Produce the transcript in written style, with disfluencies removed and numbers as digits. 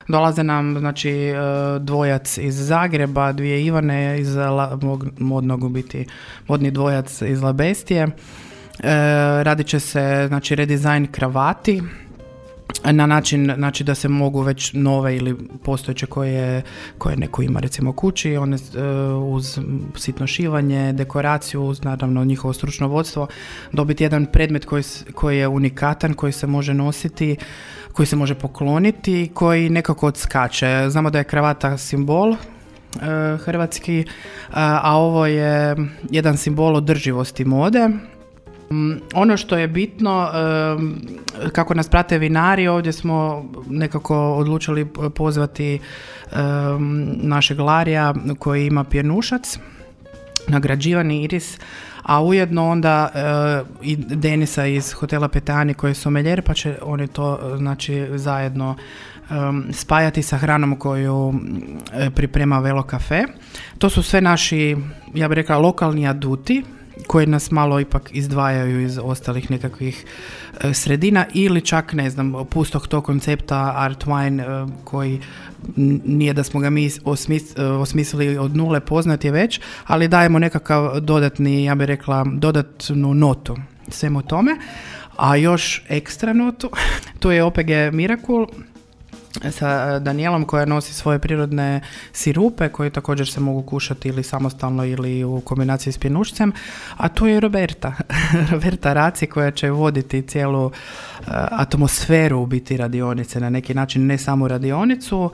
Dolaze nam znači dvojac iz Zagreba, dvije Ivane iz modnog u biti, modni dvojac iz Labestije. Radit će se znači redizajn kravati na način znači da se mogu već nove ili postojeće koje neko ima recimo kući, one uz sitno šivanje, dekoraciju, uz naravno njihovo stručno vodstvo, dobiti jedan predmet koji je unikatan, koji se može nositi, koji se može pokloniti, koji nekako odskače. Znamo da je kravata simbol hrvatski, a ovo je jedan simbol održivosti mode. Ono što je bitno, kako nas prate vinari, ovdje smo nekako odlučili pozvati našeg Larija koji ima pjenušac, nagrađivani Iris, a ujedno onda i Denisa iz hotela Petani koji je sommelier, pa će oni to znači zajedno spajati sa hranom koju priprema Velo Cafe. To su sve naši, ja bih rekla, lokalni aduti koji nas malo ipak izdvajaju iz ostalih nekakvih sredina ili čak, ne znam, pustog tog koncepta Art Wine koji nije da smo ga mi osmislili od nule, poznat je već, ali dajemo nekakav dodatni, ja bih rekla, dodatnu notu svemu tome. A još ekstra notu, tu je OPG Miracle sa Danijelom koja nosi svoje prirodne sirupe koji također se mogu kušati ili samostalno ili u kombinaciji s pjenušcem, a tu je Roberta Raci koja će voditi cijelu atmosferu u biti radionice na neki način, ne samo radionicu,